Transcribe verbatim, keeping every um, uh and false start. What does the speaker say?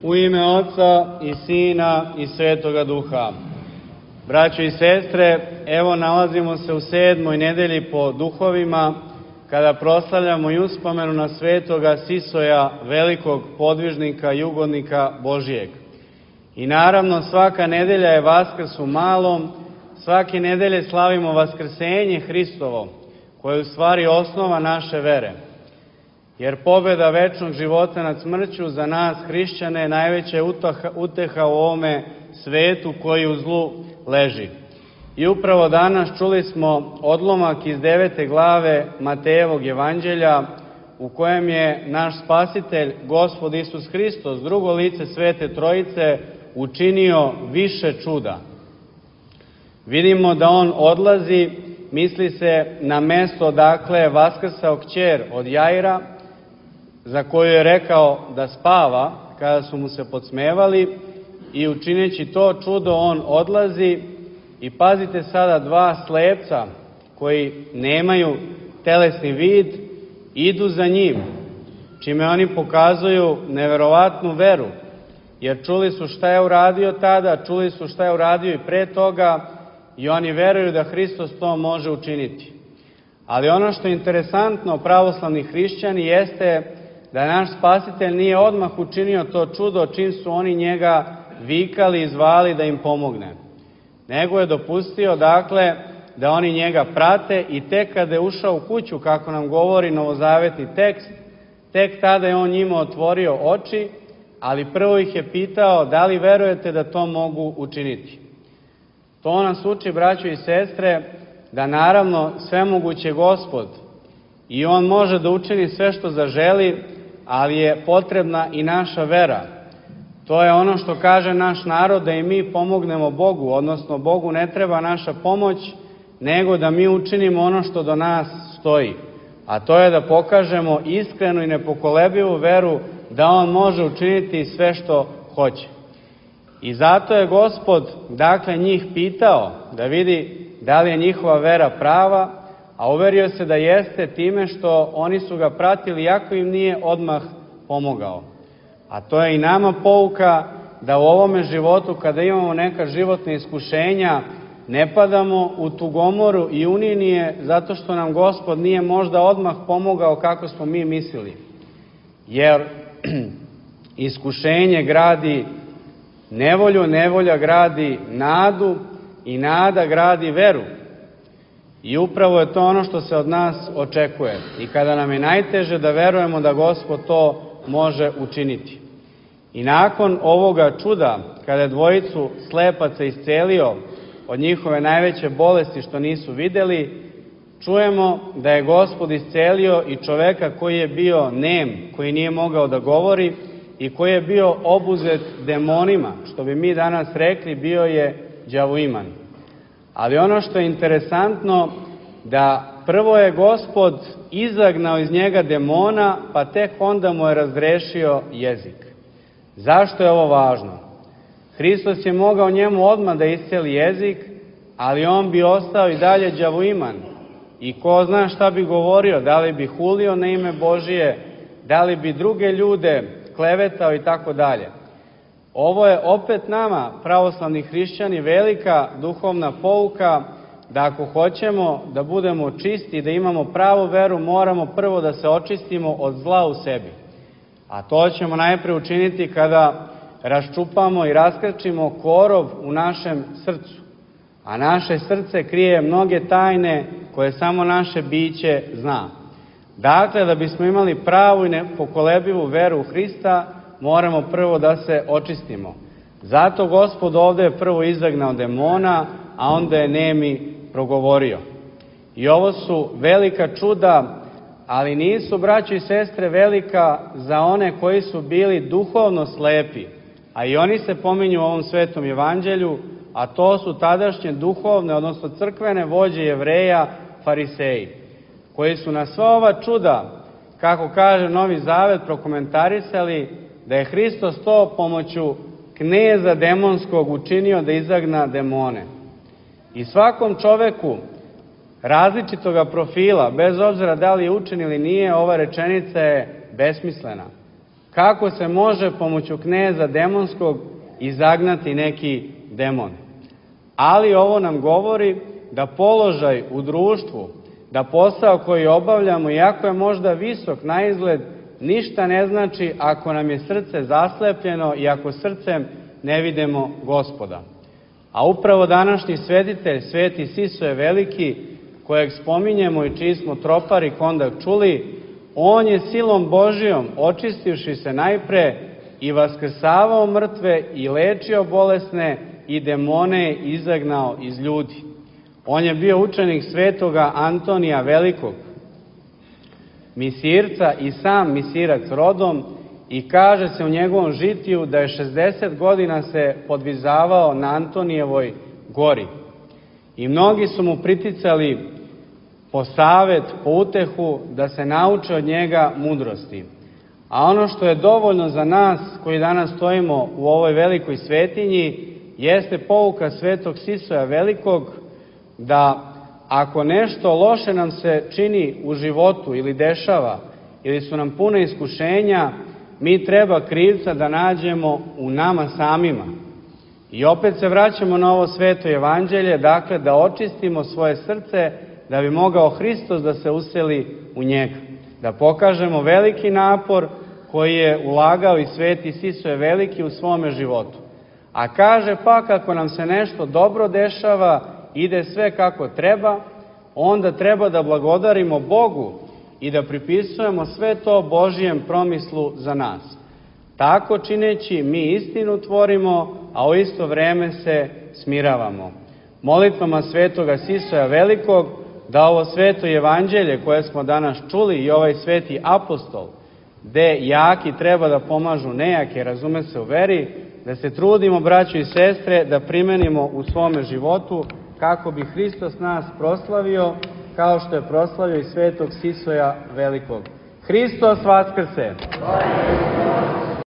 U ime Oca i Sina i Svetoga Duha. Braćo i sestre, evo nalazimo se u sedmoj nedelji po duhovima, kada proslavljamo i uspomenu na svetoga Sisoja, velikog podvižnika i ugodnika Božijeg. I naravno, svaka nedelja je Vaskrs u malom, svake nedelje slavimo Vaskrsenje Hristovo, koje je u stvari osnova naše vere. Jer pobjeda večnog života nad smrću za nas, hrišćane, je najveća uteha u ovome svetu koji u zlu leži. I upravo danas čuli smo odlomak iz devete glave Matejevog evanđelja, u kojem je naš Spasitelj, Gospod Isus Hristos, drugo lice Svete Trojice, učinio više čuda. Vidimo da on odlazi, misli se na mesto odakle je vaskrsao kćer od Jaira, za koju je rekao da spava kada su mu se podsmevali, i učineći to čudo on odlazi. I pazite sada, dva slepca koji nemaju telesni vid idu za njim, čime oni pokazuju neverovatnu veru, jer čuli su šta je uradio tada, čuli su šta je uradio i pre toga, i oni veruju da Hristos to može učiniti. Ali ono što je interesantno, pravoslavni hrišćani, jeste da naš Spasitelj nije odmah učinio to čudo čim su oni njega vikali i zvali da im pomogne, nego je dopustio, dakle, da oni njega prate, i tek kada je ušao u kuću, kako nam govori novozavetni tekst, tek tada je on njima otvorio oči, ali prvo ih je pitao da li verujete da to mogu učiniti. To nas uči, braćo i sestre, da naravno svemogući Gospod i on može da učini sve što zaželi, ali je potrebna i naša vera. To je ono što kaže naš narod, da i mi pomognemo Bogu, odnosno Bogu ne treba naša pomoć, nego da mi učinimo ono što do nas stoji. A to je da pokažemo iskrenu i nepokolebivu veru da on može učiniti sve što hoće. I zato je Gospod, dakle, njih pitao da vidi da li je njihova vera prava, a uverio se da jeste time što oni su ga pratili, iako im nije odmah pomogao. A to je i nama pouka da u ovome životu, kada imamo neka životna iskušenja, ne padamo u tugomoru i uninije zato što nam Gospod nije možda odmah pomogao kako smo mi mislili. Jer iskušenje gradi nevolju, nevolja gradi nadu i nada gradi veru. I upravo je to ono što se od nas očekuje. I kada nam je najteže, da verujemo da Gospod to može učiniti. I nakon ovoga čuda, kada je dvojicu slepaca iscelio od njihove najveće bolesti što nisu videli, čujemo da je Gospod iscelio i čoveka koji je bio nem, koji nije mogao da govori i koji je bio obuzet demonima, što bi mi danas rekli, bio je đavoiman. Ali ono što je interesantno, da prvo je Gospod izagnao iz njega demona, pa tek onda mu je razrešio jezik. Zašto je ovo važno? Hristos je mogao njemu odmah da isceli jezik, ali on bi ostao i dalje đavoiman. I ko zna šta bi govorio, da li bi hulio na ime Božije, da li bi druge ljude klevetao i tako dalje. Ovo je opet nama, pravoslavni hrišćani, velika duhovna pouka, da ako hoćemo da budemo čisti, da imamo pravu veru, moramo prvo da se očistimo od zla u sebi. A to ćemo najpre učiniti kada raščupamo i raskrčimo korov u našem srcu. A naše srce krije mnoge tajne koje samo naše biće zna. Dakle, da bismo imali pravu i nepokolebivu veru u Hrista, moramo prvo da se očistimo. Zato Gospod ovde je prvo izagnao demona, a onda je nemi progovorio. I ovo su velika čuda, ali nisu, braćo i sestre, velika za one koji su bili duhovno slepi, a i oni se pominju u ovom svetom evanđelju, a to su tadašnje duhovne, odnosno crkvene vođe Jevreja, fariseji, koji su na sva ova čuda, kako kaže Novi Zavet, prokomentarisali da je Hristos to pomoću kneza demonskog učinio da izagna demone. I svakom čoveku različitoga profila, bez obzira da li je učen ili nije, ova rečenica je besmislena. kako se može pomoću kneza demonskog izagnati neki demon. Ali ovo nam govori da položaj u društvu, da posao koji obavljamo, iako je možda visok na izgled, ništa ne znači ako nam je srce zaslepljeno i ako srcem ne vidimo Gospoda. A upravo današnji svetitelj, sveti Sisoje Veliki, kojeg spominjemo i čiji smo tropar i kondak čuli, on je silom Božijom, očistivši se najpre, i vaskrsavao mrtve i lečio bolesne i demone izagnao iz ljudi. On je bio učenik svetoga Antonija Velikog, misirca i sam misirac rodom, i kaže se u njegovom žitiju da je šezdeset godina se podvizavao na Antonijevoj gori. I mnogi su mu priticali po savet, po utehu, da se nauče od njega mudrosti. A ono što je dovoljno za nas koji danas stojimo u ovoj velikoj svetinji jeste pouka svetog Sisoja Velikog, da ako nešto loše nam se čini u životu ili dešava, ili su nam pune iskušenja, mi treba krivca da nađemo u nama samima. I opet se vraćamo na ovo sveto evanđelje, dakle da očistimo svoje srce, da bi mogao Hristos da se useli u njega. Da pokažemo veliki napor koji je ulagao i sveti Sisoje Veliki u svome životu. A kaže pa kako nam se nešto dobro dešava, ide sve kako treba, onda treba da blagodarimo Bogu i da pripisujemo sve to Božijem promislu za nas. Tako čineći mi istinu tvorimo, a u isto vreme se smiravamo. Molitvama svetoga Sisoja Velikog da ovo sveto evanđelje koje smo danas čuli i ovaj sveti apostol, gde jaki treba da pomažu nejake, razume se u veri, da se trudimo, braćo i sestre, da primenimo u svome životu kako bi Hristos nas proslavio, kao što je proslavio i svetog Sisoja Velikog. Hristos vaskrse!